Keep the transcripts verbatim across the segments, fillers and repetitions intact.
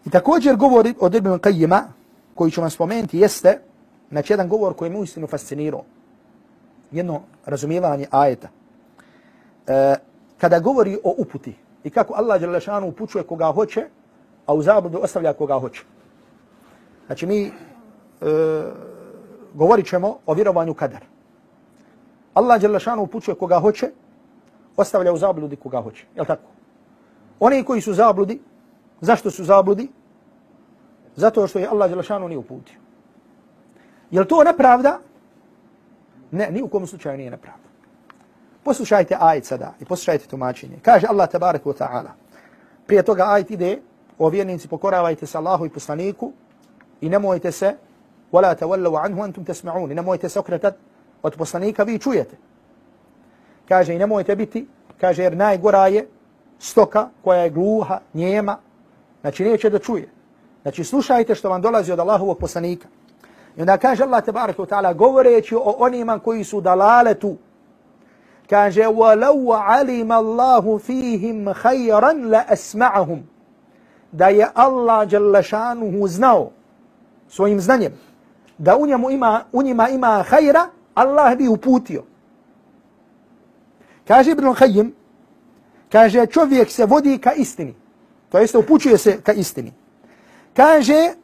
I također govori od Ibn Qayyima, koji ću vam spomenuti, jeste znači jedan govor koji me uistinu fascinirao. Jedno razumijevanje ajeta. E, kada govori o uputi i kako Allah dželle šanu upućuje koga hoće, a u zabludu ostavlja koga hoće. Znači mi e, govorit ćemo o vjerovanju kadar. Allah dželle šanu upućuje koga hoće, ostavlja u zabludi koga hoće. Jel' tako? Oni koji su zabludi, zašto su zabludi? Zato što je Allah dželle šanu nije uputio. Jel' to nepravda? Ne, ni u kom slučaju nije nepravda. Poslušajte ajet sada i poslušajte tumačenje. Kaže Allah tabaraka wa ta'ala. Prije toga ajet ide: o vjernici, pokoravajte se Allahu i poslaniku i nemojte se wala tawallu anhu antum tasma'un. I nemojte se okretati od poslanika, vi čujete. Kaže i nemojte biti, kaže jer najgora je stoka koja je gluha, njema, znači neće da čuje. Znači slušajte što vam dolazi od Allahovog poslanika. I onda kaže Allah tabaraka wa ta'ala govoreći o onima koji su dalaletu. Kaže وَلَوْ عَلِمَ اللَّهُ فِيهِمْ خَيْرًا لَأَسْمَعَهُمْ. Da je Allah dželle šanuhu znao svojim znanjem da u njemu ima, u njima ima hajra, Allah bi uputio. Kaže Ibn Qayyim, kaže čovjek se vodi ka istini. To jeste upućuje se ka istini. Kaže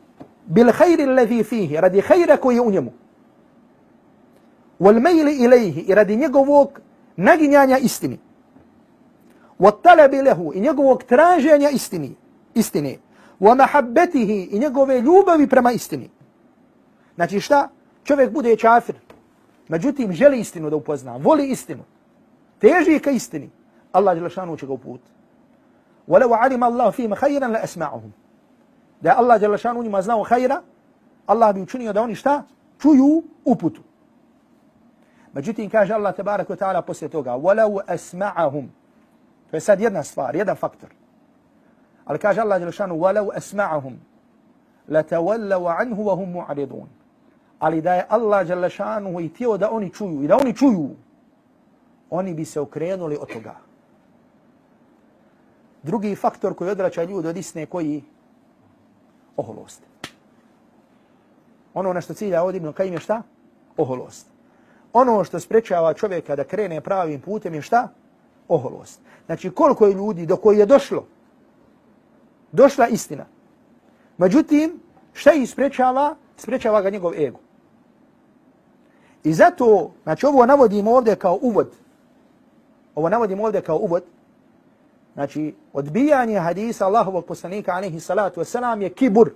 bil hajri alladhi fihi, radi hajra koji je u njemu. Wal maili ilayhi, i radi njegovog naginjanja istini. Wa talabi lahu, i njegovog traženja istini, istine. Wa mahabbatihi, i njegove ljubavi prema istini. Znači šta? Čovjek bude kafir, međutim želi istinu da upozna, voli istinu, teži ka istini, Allah dželle šanuhu će ga uputiti. وَلَوْ عَلِمَ اللَّهُ فِيهِمْ خَيْرًا لَأَسْمَعَهُمْ. Da je Allah dželle šanuhu njima znao hajra, Allah bi učinio da oni šta? Čuju uputu. Međutim, kaže Allah tabaraka wa ta'ala poslije toga: وَلَوْ أَسْمَعَهُمْ. To je sad jedna stvar, jedan faktor. Ali kaže Allah dželle šanuhu: وَلَوْ أَسْمَعَهُمْ لَتَوَلَّوْا عَنْهُ وَهُمْ مُعْرِضُونَ. Ali da je Allah dželle šanuhu i htio da oni čuju, i da oni čuju, oni bi se okrenuli od toga. Drugi faktor koji odvraća ljude od istine, koji? Oholost. Ono na što cilja ovdje Ibn Qayyim je šta? Oholost. Ono što sprečava čovjeka da krene pravim putem je šta? Oholost. Znači koliko je ljudi do koji je došlo, došla istina. Međutim, šta ih sprečava? Sprečava ga njegov ego. I zato, znači ovo navodimo ovdje kao uvod. Ovo navodimo ovdje kao uvod. Znači, odbijanje hadisa Allahovog poslanika alejhi salatu vesselam je kibur.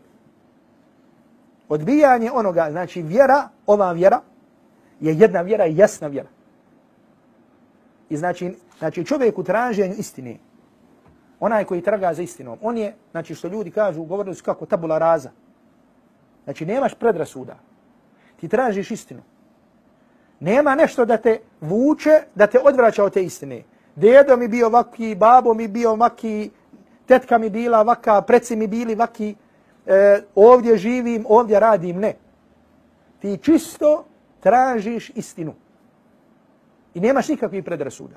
Odbijanje onoga, znači vjera, ova vjera, je jedna vjera i jasna vjera. I znači, znači čovjek u traženju istine, onaj koji traga za istinom, on je, znači što ljudi kažu, govorili su kako tabula raza. Znači nemaš predrasuda. Ti tražiš istinu. Nema nešto da te vuče, da te odvraća od te istine. Dedo mi bio vaki, babo mi bio vaki, tetka mi bila vaka, preci mi bili vaki, e, ovdje živim, ovdje radim. Ne. Ti čisto tražiš istinu. I nemaš nikakvih predrasuda.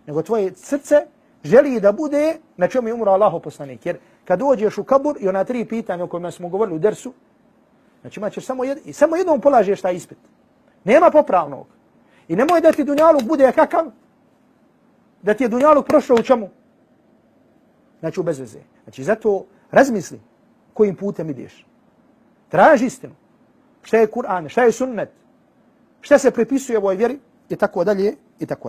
Nego tvoje srce želi da bude na čemu je umro Allahov poslanik. Jer kad dođeš u kabur i ona tri pitanja o kojima smo govorili u dersu, znači imaćeš samo, jed, samo jednom polažeš taj ispit. Nema popravnog. I nemoj da ti dunjaluk bude kakav, da ti je dunjaluk prošao u čemu? Znači u bezveze. Znači zato razmisli kojim putem ideš. Traži istinu. Šta je Kur'an, šta je sunnet, šta se prepisuje ovoj vjeri i tako dalje i tako dalje.